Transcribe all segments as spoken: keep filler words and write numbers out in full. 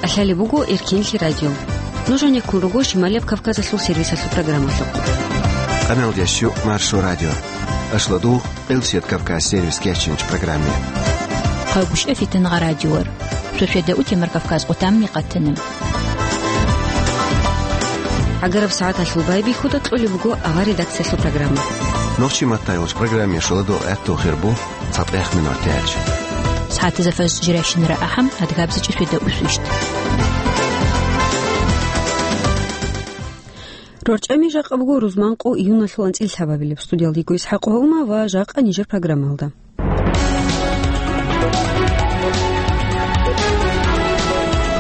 Лъалеб буго Эркенлъи радио. Нуж гьанеккун руго Шималияб Кавказалъул сервисалъул программалъухъ. Къаналдящу Маршо радио. Ашладугъ, Элсият Кавказ сервис кечинч программе. Къагушев Фитнагъа радиор. Шошеда утемар Кавказ къутамни къатана. ГӀагараб сагӀаталъул байбихьуда кьолеб буго авар редакциялъул программа. Нохчи маттайолч программе шоладо гӀатту хирбу. ЦатӀехъ минутаялъ. СагӀатазда фаз жирайщинара ахӀам, адгабза чӀушида усвищт. РорчӀами жакъа буго рузманкъо июналъул анцӀил лъабабилеб. Студиялда йиго ИсхӀакъ Гьавума ва жакъа нижер программалда.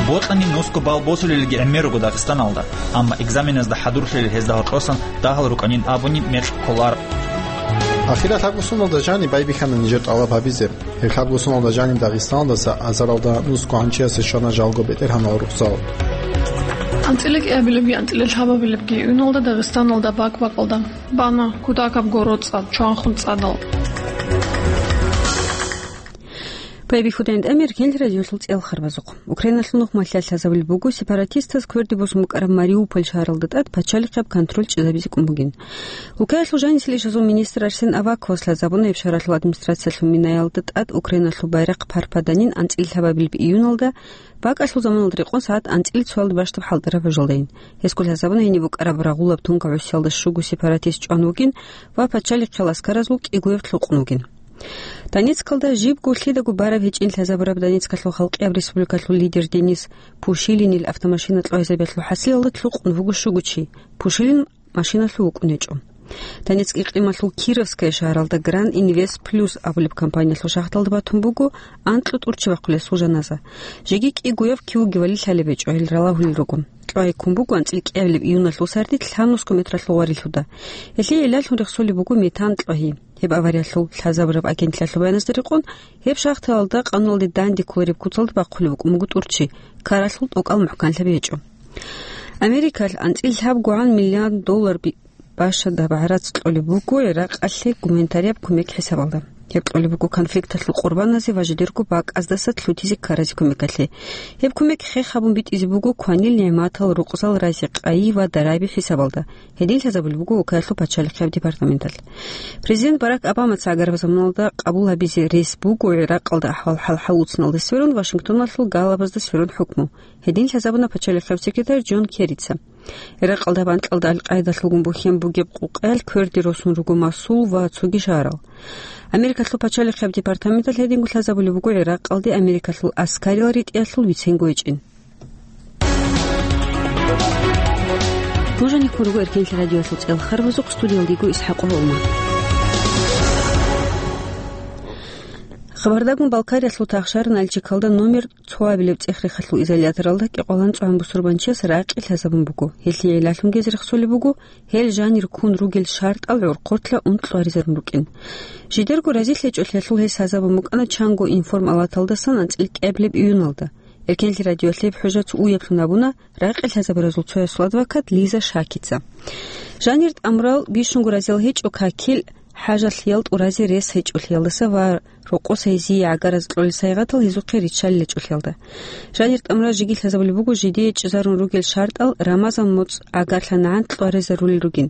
Бокьани нусго балл босулелги гӀемер руго Дагъистаналда, амма экзаменазда хӀадурлъулел гьезда гьоркьосан дагьал рукӀанин абуни мекъ кколар. Ахират лъабго соналда жаниб байбихьана нижер тӀалаб гьабизе. Гьеб лъабго соналда жаниб Дагъистаналдаса азаралда нусго гӀанчиясе щвана жалго бетӀергьанал рукъзал. АнцӀила кӀиабилебги анцӀила лъабабилебги июналда Дагъистаналда бакӀ-бакӀалда бана кутакабго роцӀа чванхъун цӀадал. Байбихьудайин тӀамир гьел радиолъул цӀел харбазухъ. Украиналъул нухмалъа лъазабулеб буго сепаратистаз кверде босун букӀараб Мариуполь шагьаралда тӀад пачалихъаб контроль чӀезабизе кӀун бугин. Улкаялъул жанисел ишазул министр Арсен Аваковас лъазабуна гьеб шагьаралъул администрациялъул минаялда тӀад Украиналъул байрахъ парпаданин анцӀила лъабабилеб июналда, бакӀалъул заманалда рекъон сагӀат анцӀила цоялда бащдаб хӀалтӀараб гӀужалдайин. Гьесго лъазабуна гьениб букӀараб рагъулаб тункаб гӀусиялда щуго сепаратист чӀван вугин ва пачалихъал аскаразул кӀигояб лъукъун вугин. Донецкалда жибго лъидаго бараб гьечӀин лъазабураб Донецкалъул халкъияб республикалъул лидер Денис Пушилинил автомашина кьвайзабиялъул хӀасилалда лъукъун вуго щуго чи. Пушилин машиналъув вукӀун гьечӀо. Донецк икълималъул Кировская шагьаралда Гран Инвест Плюс абулеб компаниялъул шахталда батун буго анкьго тӀурччи бахъулесул жаназа. Жеги кӀигояв кивуги вали лъалеб гьечӀо, гьел ралагьулел руго. Кьвай ккун буго анцӀила кӀиабилеб июналъул сардилъ лъабнусго метралъул варилъуда. Гьелъие гӀиллалъун рехсолеб буго метан кьвагьи. Гьеб авариялъул лъазабураб агентлъиялъул баяназда рекъон, гьеб шахталда къануналде данде кколареб куцалда бахъулеб букӀун буго тӀурччи, ккаралъул тӀокӀал мухӀканлъаби гьечӀо. Америкалъ анцӀила лъабгогӀан миллиард доллар би-, бащадаб гӀарац кьолеб буго ГӀиракъалъе гуманитарияб кумек хӀисабалда. Гьеб кьолеб буго конфликталъул къурбаназе ва жидерго бакӀаздаса лъутизе ккаразе кумекалъе. Гьеб кумек хех гьабун битӀизе буго кванил нигӀматал, рукъзал, рази-къайи ва дараби хӀисабалда. Гьедин лъазабулеб буго Улкаялъул пачалихъияб департаменталъ. Президент Барак Обамаца гӀагараб заманалда къабул гьабизе рес буго ГӀиракъалда ахӀвал хӀалхӀалуцуналде сверун Вашингтоналъул галабазда сверун хӀукму. Гьедин лъазабуна пачалихъияб секретарь Джон Керрица. ГӀиракъалда банкьалда Аль-Къайдалъулгун бухьен бугеб къукъаялъ кверде росун руго Масул ва цоги шагьарал. Америкалъул пачалихъияб департаменталъ гьединго лъазабулеб буго ГӀиракъалде Америкалъул аскарил ритӀиялъул биценго гьечӀин. Нуж гьанеккун руго Эркенлъи радиоялъул цӀел харбазухъ, студиялда йиго ИсхӀакъ Гьавума. Хабардагун Балкариялъул тахшар Нальчикалда номер цоабилеб цӀех-рехалъул изоляторалда кӀикъоялда анцӀгогӀан бусурбанчияс ракъи лъазабун буго. Гьелъие гӀиллалъунги гьез рехсолеб буго, гьел жанир ккун ругел шартӀал гӀорхъоркьа ункъ лъугьаризарун рукӀин. Жидерго разилъ гьечӀолъиялъул гьес лъазабун букӀана чанго информалаталдасан анцӀила кӀиабилеб июналда. Эркенлъи радиоялъ гьеб хӀужа цо уяблъун абуна ракъи лъазабуразул цоясул адвокат Лиза Шакица. Жанир тӀамурал бищунго разиял гьечӀо какил хӀажалъиялда тӀуразе рес гьечӀолъиялдаса ва рокъоса гьезие гӀагараз кьолел сайгъатал гьезухъе риччалел гьечӀолъиялда. Жанир тӀамурал жеги лъазабулеб буго жидее чӀезарун ругел шартӀал Рамазан моцӀ гӀагарлъа нагӀан кьваризарулел ругин.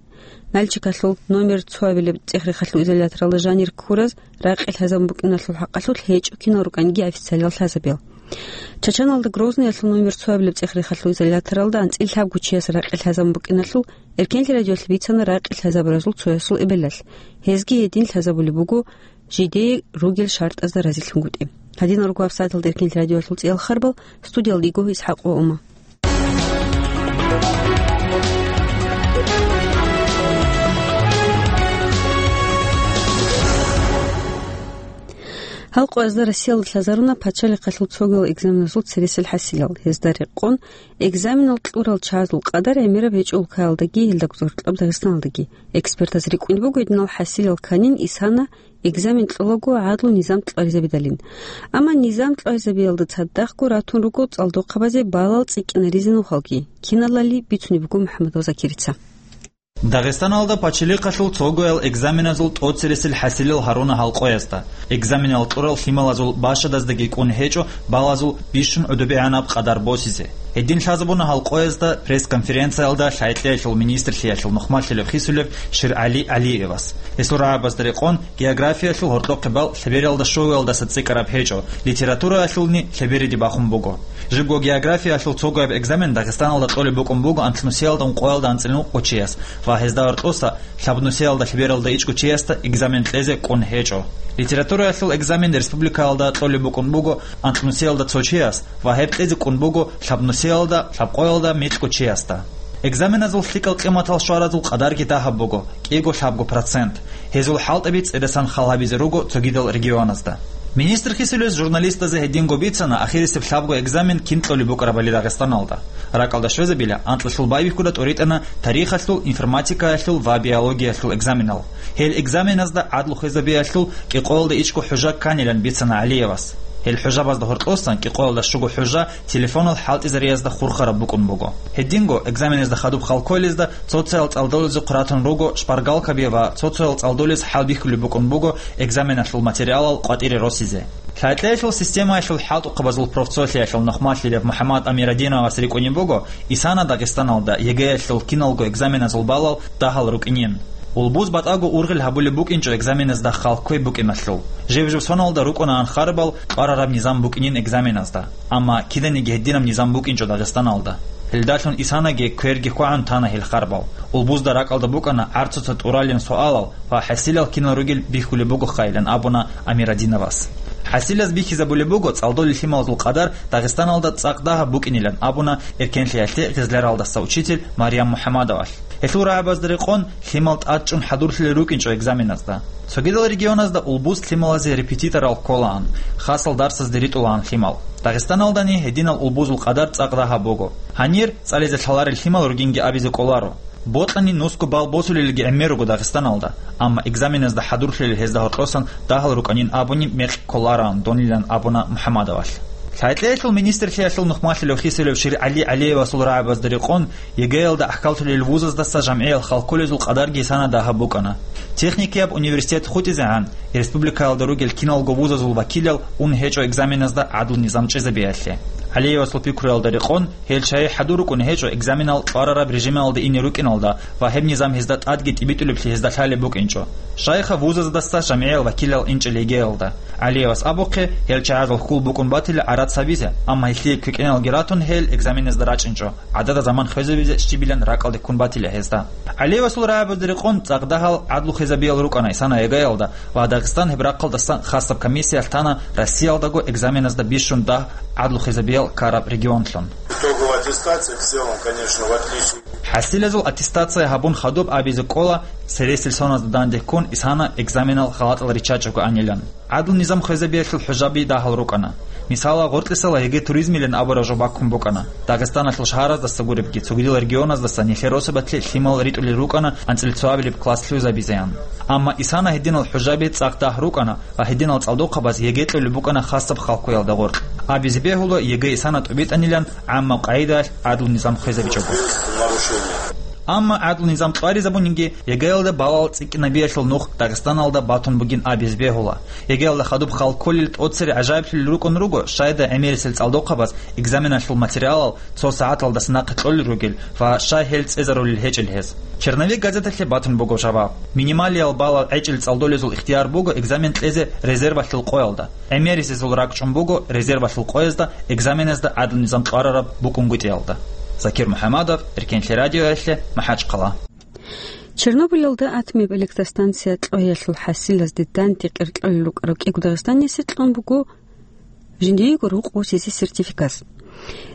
Нальчикалъул номер цоабилеб цӀех-рехалъул изоляторалда жанир ккураз ракъи лъазабун букӀиналъул хӀакъалъулъ гьечӀо кинал рукӀаниги официалиял лъазабиял. Чачаналда Грозныялъул номер цоабилеб цӀех-рехалъул изоляторалда анцӀила лъабго чияс ракъи лъазабун букӀиналъул Эркенлъи радиоялъ бицана ракъи лъазабуразул цоясул эбелалъ. Гьезги гьедин лъазабулеб буго жидее ругел шартӀазда разилъунгутӀи. Гьадинал руго гьабсагӀаталда Эркенлъи радиоялъул цӀиял харбал, студиялда йиго ИсхӀакъ Гьавума. Гьал къоязда Россиялда лъазаруна пачалихъалъул цогидал экзаменазул цересел хӀасилал. Гьезда рекъон, экзаменал кьурал чагӀазул къадар гӀемераб гьечӀо улкаялдаги, гьелдагузда гьоркьоб Дагъистаналдаги. Экспертаз рикӀкӀунеб буго гьединал хӀасилал кканин исана экзамен кьолаго гӀадлу низам кьваризабидалин. Амма низам кьваризабиялда цадахъго ратун руго цӀалдохъабазе балал цӀикӀкӀинаризе нухалги. Киналали бицунеб буго МухӀаммадов Закирица. Дагъистаналда пачалихъалъул цогоял экзаменазул тӀоцересел хӀасилал гьаруна гьал къоязда. Экзаменал кьурал лъималазул башадаздаги кӀун гьечӀо балазул бищун гӀодобегӀанаб къадар босизе. Гьедин лъазабуна гьал къоязда пресс-конференциялда лъайкьеялъул министрлъиялъул нухмалъилев хисулев ШиргӀали ГӀалиевас. Гьесул рагӀабазда рекъон, географиялъул гьоркьохъебал лъебералда щугоялдаса цӀикӀкӀараб гьечӀо, литератураялъулни лъебериде бахун буго. Жибго географиялъул цогояб экзамен Дагъистаналда кьолеб букӀун буго анлънусиялда ункъоялда анцӀила ункъо чияс ва гьезда гьоркьоса лъабнусиялда лъебералда ичӀго чиясда экзамен кьезе кӀун гьечӀо. Литератураялъул экзамен республикаялда кьолеб букӀун буго анлънусиялда цо чияс ва гьеб кьезе кӀун буго лъабнусиялда лъабкъоялда микьго чиясда. Экзаменазул лъикӀал къиматал щваразул къадарги дагьаб буго, кӀиго-лъабго процент. Гьезул хӀалтӀаби цӀедасан хал гьабизе руго цогидал регионазда. Министр хисулес журналистазе гьединго бицана ахирисеб лъабго экзамен кин кьолеб букӀарабали Дагъистаналда. РакӀалда щвезабила анкьалъул байбихьуда тӀуритӀана тарихалъул, информатикаялъул ва биологиялъул экзаменал. Гьел экзаменазда гӀадлу хвезабиялъул кӀикъоялда ичӀго хӀужа кканилан бицана ГӀалиевас. Гьел хӀужабазда гьоркьосан кӀикъоялда щуго хӀужа телефонал хӀалтӀизариязда хурхараб букӀун буго. Гьединго экзаменазда хадуб хал кколезда цо-цоял цӀалдолезухъ ратун руго шпаргалкаби ва цо-цоял цӀалдолез хӀалбихьулеб букӀун буго экзаменалъул материалал къватӀире росизе. Лъайкьеялъул системаялъул хӀалтӀухъабазул профцолъиялъул нухмалъилев МухӀаммад Амирадиновас рикӀкӀунеб буго, исана Дагъистаналда ЕГЭялъул киналго экзаменазул балал дагьал рукӀинин. Улбуз батӀаго ургъел гьабулеб букӀинчӀо экзаменазда хал кквей букӀиналъул. Жиб-жиб соналда рукӀунаан харбал кьварараб низам букӀинин экзаменазда. Амма киданиги гьединаб низам букӀинчӀо Дагъистаналда. Гьелдалъун исанаги кверги хвагӀун тана гьел харбал. Улбузда ракӀалда букӀана гӀарцуца тӀуралин суалал ва хӀасилал кинал ругел бихьулеб бугохъайилан абуна Амирадиновас. ХӀасилаз бихьизабулеб буго цӀалдолел лъималазул къадар Дагъистаналда цӀакъ дагьаб букӀинилан абуна Эркенлъиялъе Гъезляралдаса учитель Марьям МухӀамадовалъ. Гьелъул рагӀабазда рекъон, лъимал тӀадчӀун хӀадурлъулел рукӀинчӀо экзаменазда. Цогидал регионазда улбуз лъималазе репетиторал кколаан, хасал дарсазде ритӀулаан лъимал. Дагъистаналдани гьединал улбузул къадар цӀакъ дагьаб буго. Гьанир цӀализе лъаларел лъимал ругинги абизе кӀоларо. Бокьани нусго балл босулелги гӀемер руго Дагъистаналда, амма экзаменазда хӀадурлъулел гьезда гьоркьосан дагьал рукӀанин абуни мекъ кколараан донилан абуна МухӀамадовалъ. Лъайкьеялъул министрлъиялъул нухмалъилев хисулев ШиргӀали ГӀалиевасул рагӀабазда рекъон, ЕГЭялда ахкаллъулел вузаздаса жамгӀиял хал кколезул къадарги исана дагьаб букӀана. Техникияб университет хутӀизегӀан, республикаялда ругел киналго вузазул вакилал ун гьечӀо экзаменазда гӀадлу низам чӀезабиялъе. ГӀалиевасул пикруялда рекъон, гьел чагӀи хӀадур рукӀун гьечӀо экзаменал кьварараб режималда ине рукӀиналда ва гьеб низам гьезда тӀадги тӀибитӀулеблъи гьезда лъалеб букӀинчӀо. Щайха вузаздаса жамгӀиял вакилал инчӀел ЕГЭялда. ГӀалиевас абухъе, гьел чагӀазул хьул букӀун батила гӀарац гьабизе, амма гьелъие квекӀиналги ратун гьел экзаменазда рачӀинчӀо, гӀадада заман хвезабизе щибилан ракӀалде ккун батила гьезда. ГӀалиевасул рагӀабазда рекъон цӀакъ дагьал гӀадлу хвезабиял рукӀана исана ЕГЭялда ва Дагъистан гьеб рахъалдасан хасаб комиссиялъ тана Россиялдаго экзаменазда бищун дагь гӀадлу хвезабиял ккараб регионлъун. Итоговая аттестация в целом, конечно, в отличие. ХӀасилазул аттестация гьабун хадуб абизе кӀола, цересел соназда данде ккун исана экзаменал халатӀал риччачӀого анилан. ГӀадлу низам хвезабиялъул хӀужаби дагьал рукӀана. Мисала, гъоркьисала ЕГЭ туризмилан абураб жо баккун букӀана. Дагъистаналъул шагьараздаса гуребги, цогидал регионаздаса нилъер росабалъе лъимал ритӀулел рукӀана анцӀила цоабилеб класс лъугӀизабизеян. Амма исана гьединал хӀужаби цӀакъ дагь рукӀана ва гьединал цӀалдохъабаз ЕГЭ кьолеб букӀана хасаб халкъоялда гъоркь. Абизе бегьула ЕГЭ исана тӀубитӀанилан гӀаммаб къагӀидаялъ гӀадлу низам хвезабичӀого. Амма гӀадлу низам кьваризабунинги, ЕГЭялда балал цӀикӀкӀинабиялъул нух Дагъистаналда батун бугин абизе бегьула. ЕГЭялда хадуб хал кколел тӀоцере гӀажаиблъулел рукӀун руго, щайда гӀемерисел цӀалдохъабаз экзаменалъул материалал цо сагӀаталдаса нахъе кьолел ругел ва щай гьел цӀезарулел гьечӀел гьез. «Черновик» газеталъе батун буго жаваб. Минималиял балал гӀечӀел цӀалдолезул ихтияр буго экзамен кьезе резервалъул къоялда. ГӀемерисезул ракӀчӀун буго резервалъул къоязда экзаменазда гӀадлу низам кьварараб букӀунгутӀиялда. Закир МухӀамадов, Эркенлъи радиоялъе, МахӀачхъала. Чернобыльалда атомияб электростанция кьвеялъул хӀасилазде данде къеркьолел рукӀарав кӀиго дагъистаниясе кьун буго жиндиего рукъ босизе сертификат.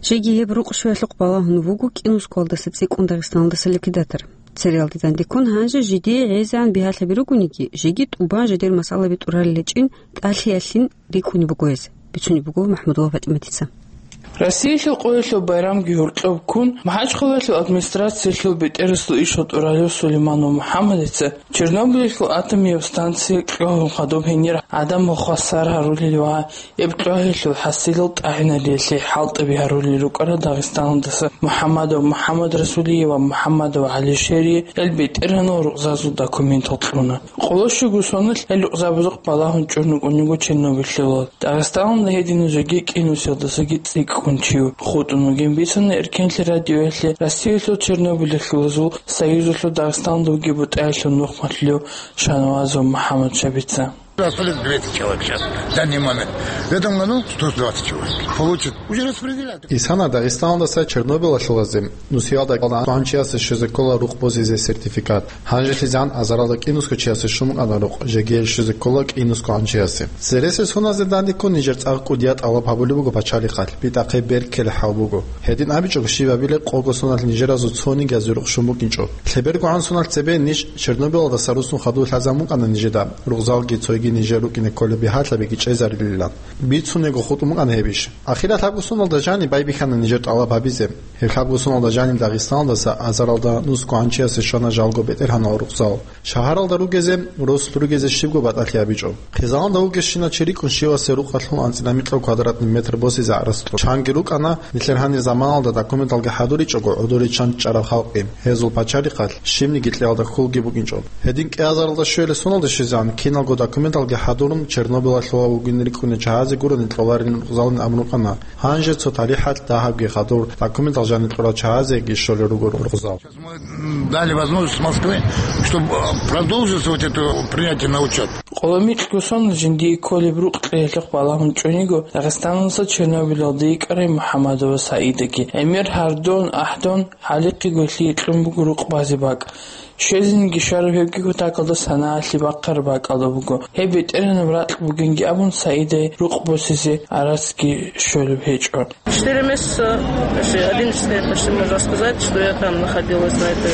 Жеги гьеб рукъ щвеялъухъ балагьун вуго КӀинусковалдаса цӀикӀкӀун Дагъистаналдаса ликвидатор. Цереялде данде ккун гьанже жидее гӀезегӀан бигьалъаби ругониги, жеги тӀубан жидер масъалаби тӀуралел гьечӀин тӀалъиялъин рикӀкӀунеб буго гьез, бицунеб буго МахӀмудова ПатӀиматица. Россиялъул къоялъул байрамги гьоркьоб ккун, МахӀачхъалаялъул администрациялъул бетӀерасул иш гьоркьор ралев Сулейманов МухӀаммадица Чернобыльалъул атомияб станция кьогьун хадуб гьенир гӀадамал хвасар гьарулел ва гьеб кьогьелъул хӀасилал тӀагӀинабиялъе хӀалтӀаби гьарулел рукӀарал Дагъистаналдаса МухӀаммадов МухӀаммад Расулиев ва МухӀаммадов ГӀалишери гьел бетӀергьанал рукъзазул документал кьуна. Къоло щуго соналъ гьел рукъзабазухъ балагьун чӀун рукӀун йиго Чернобыльалъул. Дагъистаналда гьединазеги кӀинусиялдасаги цӀикӀкӀун чи хутӀун вугин бицана Эркенлъи радиоялъе Россиялъул Чернобыльалъулазул союзалъул Дагъистаналда вугеб бутӀаялъул нухмалъулев Шанавазов МухӀаммад Шабица. Остались двести человек сейчас, в данный момент. В этом году сто двадцать человек получат. Уже распределяют. Исана Дагъистаналдаса Чернобылалъулазе, нусиялда кӀалда гьанчиясе щвезе ккола рукъ босизе сертификат. ГьанжелъизегӀан азаралда кӀинусго чиясе щун букӀана рукъ, жеги гьел щвезе ккола кӀинусго гьанчиясе. Цересел соналдазе дандеккун нижер цӀакъ кӀудияб тӀалаб гьабулеб буго пачалихъалъ, битӀахъе бер ккелеб хӀал буго. Гьедин абичӀого, щибабилеб къого соналъ нижеразул цониги гьазул рукъ щун букӀинчӀо. Лъеберго гӀан сонал цебе ниж Чернобылалдаса руссун хадув лъазабун букӀана нижеда, рукъзалги цойги нижер рукӀине кколеб бигьалъабиги чӀезарилилан. Бицунего хутӀун букӀана гьеб иш. Ахиралъ лъабго соналда жаниб байбихьана нижер тӀалаб гьабизе. Гьеб лъабго соналда жаниб Дагъистаналдаса азаралда нусго гьанчиясе щвана жалго бетӀергьанал рукъзал. Шагьаралда ругезе, росулъ ругезе щибго батӀалъи гьабичӀо. Хъизаналда вугевщинав чи рикӀкӀун щивасе рукъалъул анцӀила микьго квадратный метр босизе гӀарац кьо. Чанги рукӀана, нилъер гьанир заманалда документалги хӀадуричӀого гӀодоричӀчӀараб халкъи, гьезул пачалихъалъ щибниги кьеялда хьулги букӀинчӀо. Гьедин кӀиазаралда щвелеб соналда щвезегӀан киналго документалги хӀадурун Чернобылалъула вугин рикӀкӀунел чагьазе гурони кьоларин рукъзалин абун рукӀана. Гьанже цо талихӀалъ дагьабги хадур документал жаниб кьурал чагьазеги щолел руго рукъзал. Мы, м, дали возможность Москве, чтобы, э, продолжить вот это принятие на учёт. Къоло микьго соналъ жиндие кколеб рукъ кьеялъухъ балагьун чӀун йиго Дагъистаналдаса Чернобылалде йикӀарай МухӀаммадова Саидаги. ГӀемер гьардон, ахӀдон, гьалихъего лъие кьун буго рукъ базе бакӀ. Щвезеги щвараб гьебги кутакалда санаялъе бахъараб бакӀалда буго. Гьеб бетӀергьанаб ракь бугинги абун, Саидай рукъ босизе гӀарацги щолеб гьечӀо. Четыре месяца, почти одиннадцать лет, почти можно сказать, что я там находилась на этой.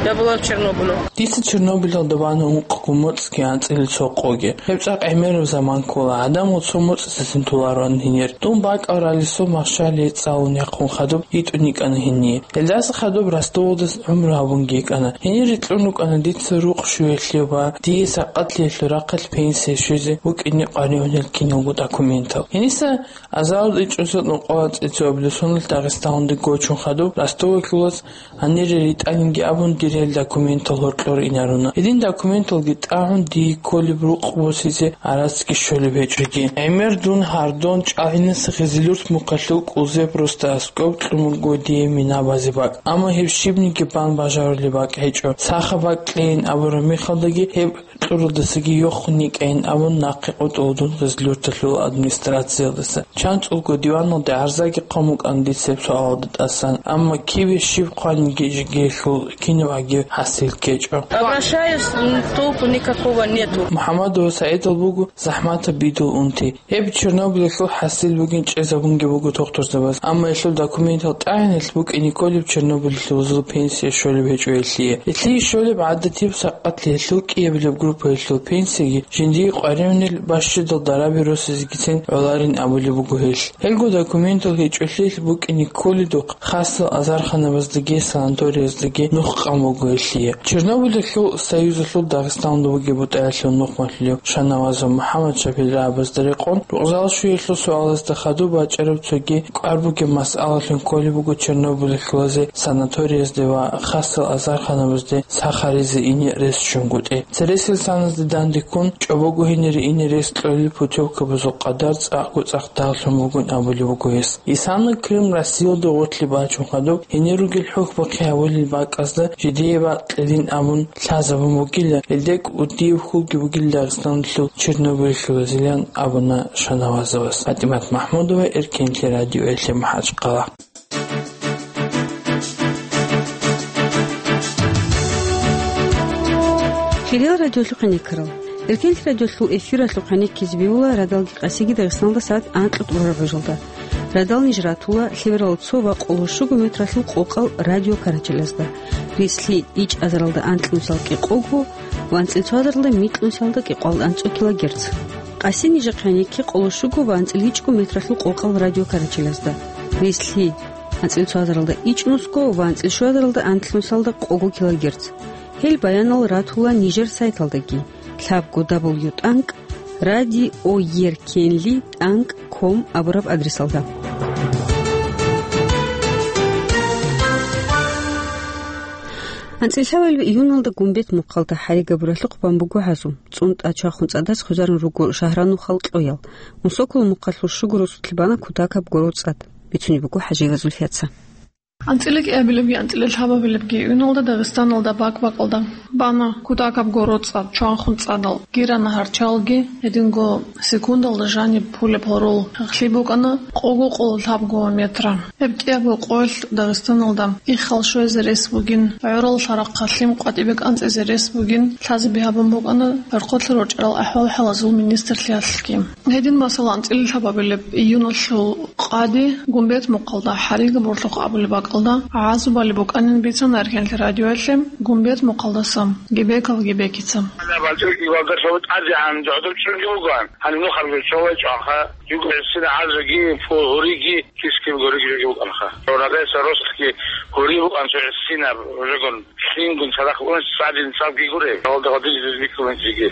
Я была в Чернобыле. Дица Чернобылалда бана ункъго моцӀги анцӀила цо къоги. Гьеб цӀакъ гӀемераб заман ккола, гӀадамал цо моцӀ цин толароан гьенир. Дун бакӀал ралъдасул махщалие цӀалун яхъун хадуб йитӀун йикӀана гьение. Гьелдаса хадуб Ростовалдаса гӀумру гьабунги йикӀана. Гьенир рикьун рукӀана дица рукъ щуялъе ва дие сакъатлъиялъул рахъалъ пенсие щвезе вукӀине къваригӀунел киналго документал. Гьениса азаралда ичӀоса нукъала цӀицӀабилеб соналъ Дагъистаналде гочун хадуб Ростовалъулас гьанире ритӀанинги абун, дир гьел документал гьоркьор инаруна. Гьедин документалги тӀагӀун, дие кколеб рукъ босизе гӀарацги щолеб гьечӀоги. ГӀемер дун гьардон чӀалгӀинаса Хизилюрт мухъалъул кӀузеб росда аскӀоб кьун буго дие мина базе бакӀ. Амма гьеб щибниги бан бажарулеб бакӀ гьечӀо. Саха бакӀ кьейин абураб мехалдаги гьеб кьуралдасаги йохун йикӀайин абун нахъе къотӀула дун Хизилюрталъул администрациялдаса. ЧанцӀулго диваналде гӀарзаги хъван букӀана дица гьеб суалалда тӀасан, амма киве щиб хъваниги жеги гьелъул кинаб гӀаги хӀасил ккечӀо. Обращаюсь, м, толку никакого нету. МухӀаммадова Саидал буго захӀматаб бидул унти. Гьеб Чернобылалъул хӀасил бугин чӀезабунги буго тухтурзабаз, амма гьелъул документал тӀагӀиналъ букӀине кколеб Чернобылалъул пенсие щолеб гьечӀо гьелъие. Гьелъие щолеб гӀадатиб сакъатлъиялъул кӀиабилеб группаялъул пенсиеги жиндие къваригӀунел бащдал дараби росизегицин гӀоларин абулеб буго гьелъ. Гьелго документал гьечӀолъиялъ букӀине кколедухъ хасал азарханабаздаги санаторияздаги нух къан буго гьелъие. Чернобылалъул союзалъул Дагъистаналда бугеб бутӀаялъул нухмалъулев Шанавазов МухӀаммад Шапил рагӀабазда рекъон, рукъзал щуялъул суалазда хадуб бачӀараб цоги кӀвар бугеб масъалалъун кколеб буго Чернобылалъулазе санаториязде ва хасал азарханабазде сахаризе ине рес ччунгутӀи. Цересел саназде дандеккун, чӀобого гьенире ине рес кьолел путевкабазул къадар цӀакъго цӀакъ дагълъун бугин абулеб буго гьес. Исана Крым Россиялда гъорлъе бачун хадуб, гьенир ругел хӀухьбахъи гьабулел бакӀазда жидее бакълъилин абун лъазабун бугила, гьелде кӀудияб хьулги бугила Дагъистаналъул Чернобылалъулазилан абуна Шанавазовас. ПатӀимат МахӀмудова, Эркенлъи радиоялъе МахӀачхъала. Хириял радиолъухъ гӀенеккарал. Эркенлъи радиолъул эфиралъухъ гӀенеккизе бегьула радалги къасиги Дагъистаналда сагӀат анкьго тӀурараб гӀужалда. Радал ниж ратула лъеберал цо ва къоло щуго метралъул къокъал радиокарачелазда. Рислъи ичӀазаралда анкьнусал кӀикъого ва анцӀила цоазаралда микьнусалда кӀикъоялда анцӀго килогерц. Къаси нижехъе гӀенекке къоло щуго ва анцӀила ичӀго метралъул къокъал радиокарачелазда. Рес лъи. АнцӀил цо гьазаралда ичӀнусго ва анцӀил щуазаралда анлънусалда къого килогерц. Гьел баянал ратула нижер сайталдаги, лъабго дабл ю тӀанкӀ радиоеркенли тӀанкӀ ком абураб адресалда. АнцӀил лъабабилеб июналда Гумбет мухъалда хӀари габуралъухъ бан буго гьазу. ЦӀунтӀа чвахун цӀадас хвезарун руго шагьранухъал кьоял. Унсокол мухъалъул щуго росулъ бана кутакаб гороцӀад. Бицунеб буго ХӀажиева Зульфияца. АнцӀила кӀиабилебги анцӀила лъабабилебги июналда Дагъистаналда бакӀ-бакӀалда бана кутакаб гороцӀад, чвахун цӀадал, Гира нагьарчалги, гьединго секундалда жаниб пулеб гьорол гьахълъи букӀана къого-къоло лъабго метра. Гьеб кӀиябго къоялъ Дагъистаналда иххал щвезе рес бугин, гӀорал лъарахъалъ лъим къватӀибе кӀанцӀизе рес бугин лъазаби гьабун букӀана гӀорхъолъа рорчӀарал ахӀвал-хӀалазул министрлъиялъги. Гьедин, масала, анцӀила лъабабилеб июналъул къаде Гумбет мухъалда хӀари габуралъухъ абулеб бакӀалда гӀазабали букӀанин бицана Эркенлъи радиоялъе Гумбет мухъалдаса Гебеков Гебекица. БалчӀунги валдалъун тӀадегӀан догӀдурчӀунги вугоан. Гьаниб нухалги цо вачӀанха, юго гӀисина гӀазруги, пу-, гьуриги, кис-киб гьуриги жоги букӀанха. Радайса росулъги гьури букӀан цо гӀисинаб жогун. Лъимгун цадахъ унес цадин цалги гуре, гьалда гъадин жиз биккун жиги.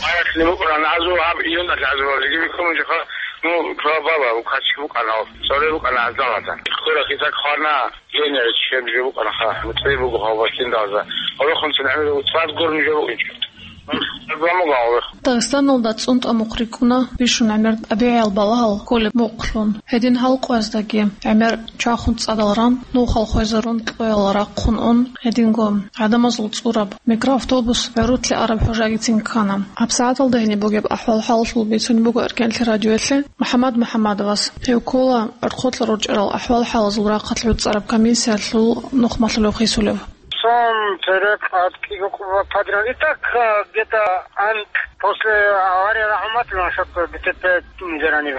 Баяхъни букӀана азу гьаб июналъ азу жиги биккун жиха, ну, цо баба, у качки букӀана, цоре букӀана азалата. Хъура хитак хвана, генер чеб жо букӀана ха, муцӀи буго гьав башлин далза. Гьорохун цин гӀемер цад гурни жо букӀинчӀо. Дагъистаналда цӀунтӀа мухъ рикӀкӀуна бищун гӀемер тӀабигӀиял балагьал кколеб мухълъун. Гьедин гьал къояздаги гӀемер чвахун цӀадал ран, нухал хвезарун, кьоял рахъун ун, гьединго гӀадамазул цӀураб микроавтобус гӀурулъе араб хӀужагицин ккана. ГьабсагӀаталда гьениб бугеб ахӀвал-хӀалалъул бицун буго Эркенлъи радиоялъе МухӀаммад МухӀаммадовас. Гьев ккола гӀорхъолъа рорчӀарал ахӀвал-хӀалазул рахъалъ гӀуцӀараб комиссиялъул нухмалъулев хисулев. Сон, церекъ, тӀадкӀи гьукъуба подряд. И так, э, где-то анкь после аварии рахматулла насчет ДТП герани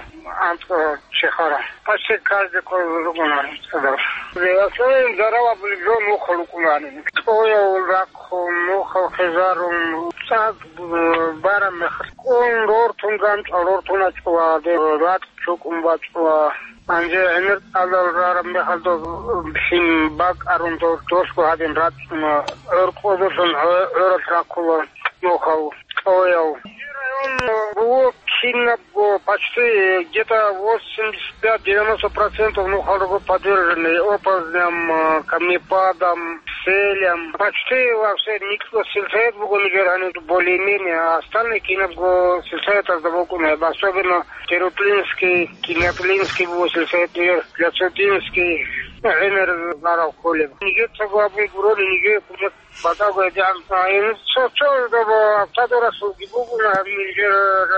анкь, э, чехара. Почти каждый кой ругуна сюда. В основном зарава были жо нухал рукулани. Кьоял рахъун, нухал хезарун, цӀакъ, э, барам мехалъ. Кун рортун ганчӀал, рортун ачӀула, де, рат чукун бачӀула. Гьанже гӀемер тӀадал рараб мехалда, лъим бакӀарун дов досго гьадин рачӀуна, гӀоркьозулъун гӀо-, гӀоралъ рахъула нухал кьояв. Район буго кинабго почти где-то восемьдесят пять-девяносто процентов нухал руго подвержены оползням, камнепадам, селям. Почти во все никто сельсовет буго нижер гьаниб более-менее, а остальные кинабго сельсоветазда букӀуна, особенно Терутлинский, Кинятлинский буго сельсовет, Яцутинский, ну, гӀемер зарал кколеб. Нижецаго абун гурони, нижер кумек батӀаго гьедигӀан. А, ин цо-, цо доб автодорасулги бугуна, нижер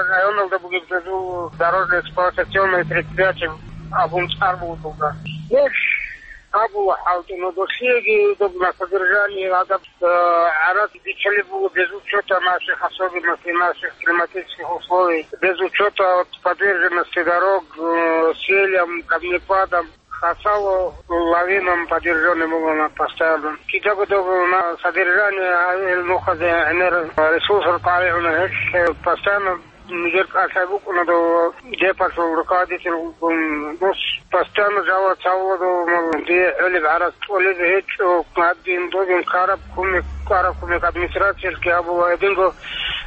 районалда бугеб дорожно-эксплуатационное предприятие абун цӀар буго дуда. Неш абула хӀалтӀуна, досиеги доб на содержание гьадаб Э, гӀарац биччалеб буго без учета наших особенностей, наших климатических условий, без учета вот подверженности дорог, э, селям, камнепадам, хасало лавинам подвержённый буго на постоянно. Кидаго дого на содержание, а, ил нухазе гӀемер ресурсал къаригӀуна гьелъ, э, постоянно Нижер кӀалъай букӀуна дов депалъул руководитель вукӀун. Дос постоянно жаваб цавула дов, мал, дие гӀолеб гӀарац кьолеб гьечӀо, гьадин додин караб кумек, караб кумек администрациялъги гьабула, гьединго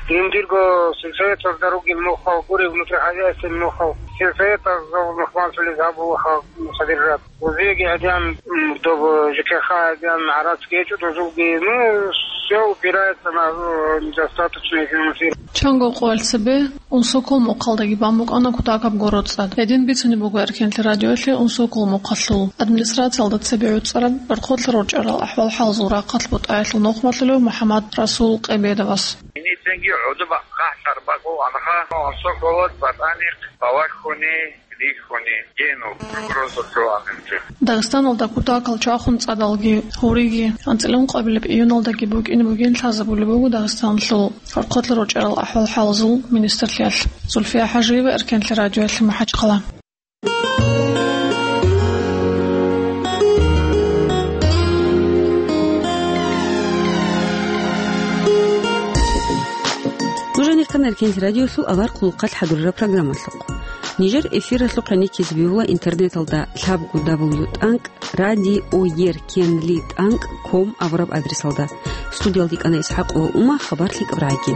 жиндирго сельсоветалда ругел нухал, гуреб внутрихозяйственный нухал, сельсоветазул нухмаллъулез гьабула хал содержать. Узеги гӀадин, м, доб ЖКХ гӀадин, гӀарац гьечӀо дозулги, ну, всё упирается на, э, недостаточное финансирование. Чанго къоялъ цебе Унсокол мухъалдаги бан букӀана кутакаб гороцӀад. Гьедин бицунеб буго Эркенлъи радиоялъе Унсокол мухъалъул администрациялда цебе гӀуцӀараб гӀорхъолъа рорчӀарал ахӀвал-хӀалазул рахъалъ бутӀаялъул нухмалъулев МухӀаммад Расул Къебедовас. Гьениб цинги гӀодобахъ хъахӀлъар бакӀу анха Унсоколалъ батӀаникъ бавахьуни. Рихьуни, гьениб угроза чӀванинчӀо. Дагъистаналда кутакал чвахун цӀадалги, гьуриги, анцӀила ункъабилеб июналдаги букӀине бугин лъазабулеб буго Дагъистаналъул гӀорхъолъа рорчӀарал ахӀвал-хӀалазул министрлъиялъ. Зульфия ХӀажиева, Эркенлъи радиоялъе, МахӀачхъала. Нуж гьанир ккана Эркенлъи радиоялъул авар хъулухъалъ хӀадурараб программалъухъ. Нижер эфиралъухъ гӀенеккизе бегьула интернеталда лъабго дабл ю тӀанкӀ радио ер кенли тӀанкӀ ком абураб адресалда. Студиялда йикӀана ИсхӀакъова Ума, хабар лъикӀаб рагӀаги.